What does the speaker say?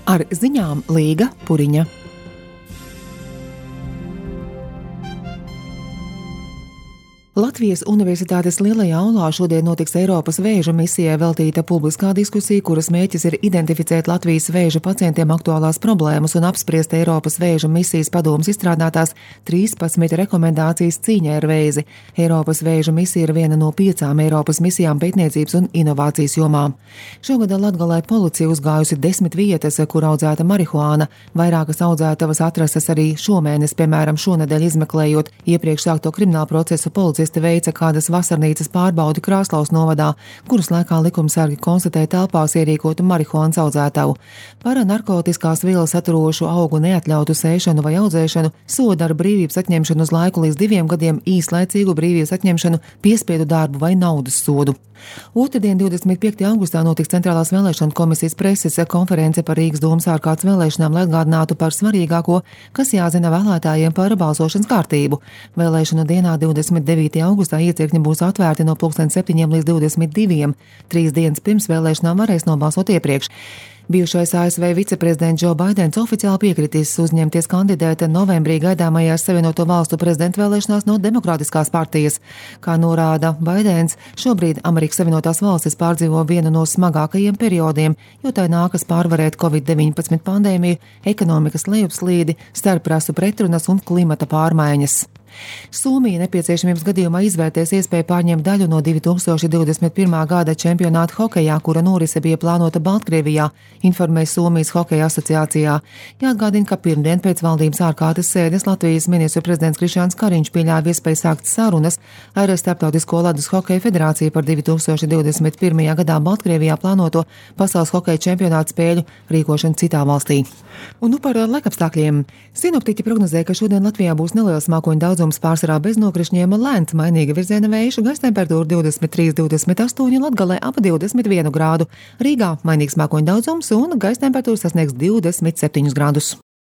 Ar ziņām Līga Puriņa. Latvijas Universitātes Lielajā aulā šodien notiks Eiropas vēža misijai veltīta publiskā diskusija, kuras mērķis ir identificēt Latvijas vēža pacientiem aktuālās problēmas un apspriest Eiropas vēža misijas padomes izstrādātās 13 rekomendācijas cīņai ar vēzi. Eiropas vēža misija ir viena no 5 Eiropas misijām pētniecības un inovācijas jomā. Šogad Latgalē policija uzgājusi 10 vietas, kur audzēta marihuāna. Vairākas audzētavas atrastas arī šomēnes, piemēram, šonedēļ izmeklējot iepriekš sākto kriminālu procesu policisti veica kādas vasarnīcas pārbaudi Krāslaus novadā, kuras laikā likumsargi konstatēja telpās ierīkotu marihuānas audzētavu. Par narkotiskās vielas saturošu augu neatļautu sēšanu vai audzēšanu soda ar brīvības atņemšanu uz laiku līdz 2 gadiem, īslaicīgu brīvības atņemšanu, piespiedu darbu vai naudas sodu. Otrdien, 25. augustā, notiks Centrālās vēlēšanu komisijas preses konference par Rīgas domas ārkārtas vēlēšanām, lai atgādinātu par svarīgāko, kas jāzina vēlētājiem par balsošanas kārtību. Vēlēšanu dienā 29. augustā iecirkņi būs atvērti no 7 līdz 22. 3 dienas pirms vēlēšanām varēs nobalsot iepriekš. Bijušais ASV viceprezidents Džo Baidens oficiāli piekritīs uzņemties kandidēt novembrī gaidāmajās Savienoto Valstu prezidenta vēlēšanās no Demokrātiskās partijas. Kā norāda Baidens, šobrīd Amerikas Savienotās valstis pārdzīvo vienu no smagākajiem periodiem, jo tai nākas pārvarēt Covid-19 pandēmiju, ekonomikas lejupslīdi, starprasu pretrunas un klimata pārmaiņas. Somija nepieciešamības gadījumā izvērtēs iespēju pārņemt daļu no 2021. gada čempionāta hokejā, kura norise bija plānota Baltkrievijā, informēja Somijas hokeja asociācijā. Jāatgādina, ka pirmdien pēc valdības ārkārtas sēdes Latvijas ministru prezidents Krišjāns Kariņš pieļāva iespēju sākt sarunas ar Starptautisko ledus hokeja federāciju par 2021. gadā Baltkrievijā plānoto pasaules hokeja čempionāta spēļu rīkošanu citā valstī. Un par laikapstākļiem. Sinoptiķi prognozē, ka šodien Latvijā būs neliels mākoņu daudzums, pārsvarā bez nokrišņiem, lēns mainīga virziena vējš, gaisa temperatūra 23–28, Latgalē ap 21 grādu. Rīgā mainīgs mākoņu daudzums un gaisa temperatūra sasniegs 27 grādus.